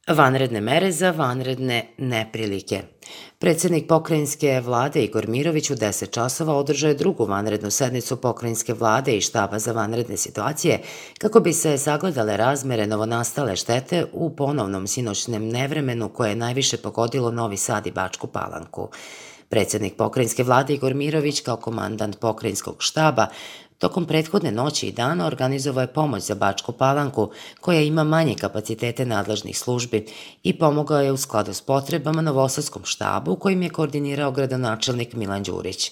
Vanredne mere za vanredne neprilike. Predsednik pokrajinske vlade Igor Mirović u 10 časova održao je drugu vanrednu sednicu pokrajinske vlade i štaba za vanredne situacije kako bi se sagledale razmere novonastale štete u ponovnom sinoćnem nevremenu koje je najviše pogodilo Novi Sad i Bačku Palanku. Predsednik pokrajinske vlade Igor Mirović kao komandant pokrajinskog štaba tokom prethodne noći i dana organizovao je pomoć za Bačku Palanku, koja ima manje kapacitete nadležnih službi, i pomogao je u skladu s potrebama Novosadskom štabu, kojim je koordinirao gradonačelnik Milan Đurić.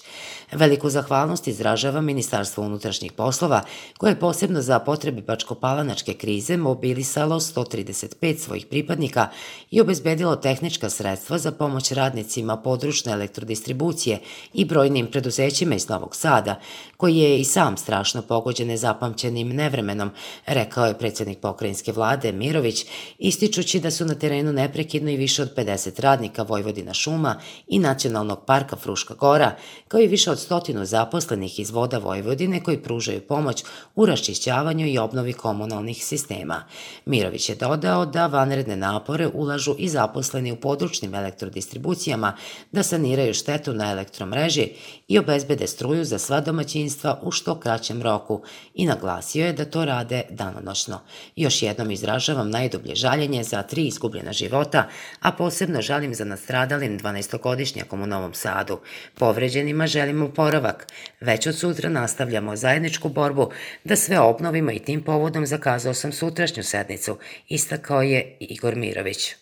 Veliku zahvalnost izražava Ministarstvo unutrašnjih poslova, koje je posebno za potrebe bačkopalanačke krize mobilisalo 135 svojih pripadnika i obezbedilo tehnička sredstva za pomoć radnicima područne elektrodistribucije i brojnim preduzećima iz Novog Sada, koji je i sam strašno pogođen nezapamćenim nevremenom, rekao je predsednik pokrajinske vlade Mirović, ističući da su na terenu neprekidno i više od 50 radnika Vojvodina šuma i Nacionalnog parka Fruška Gora, kao i više od 100 zaposlenih iz Voda Vojvodine koji pružaju pomoć u raščišćavanju i obnovi komunalnih sistema. Mirović je dodao da vanredne napore ulažu i zaposleni u područnim elektrodistribucijama da saniraju štetu na elektromreži i obezbede struju za sva domaćinstva u što kraćem roku i naglasio je da to rade danonoćno. Još jednom izražavam najdublje žaljenje za 3 izgubljena života, a posebno žalim za nastradalim 12-godišnjakom u Novom Sadu. Povređenima želimo oporavak. Već od sutra nastavljamo zajedničku borbu da sve obnovimo i tim povodom zakazao sam sutrašnju sednicu, istakao je Igor Mirović.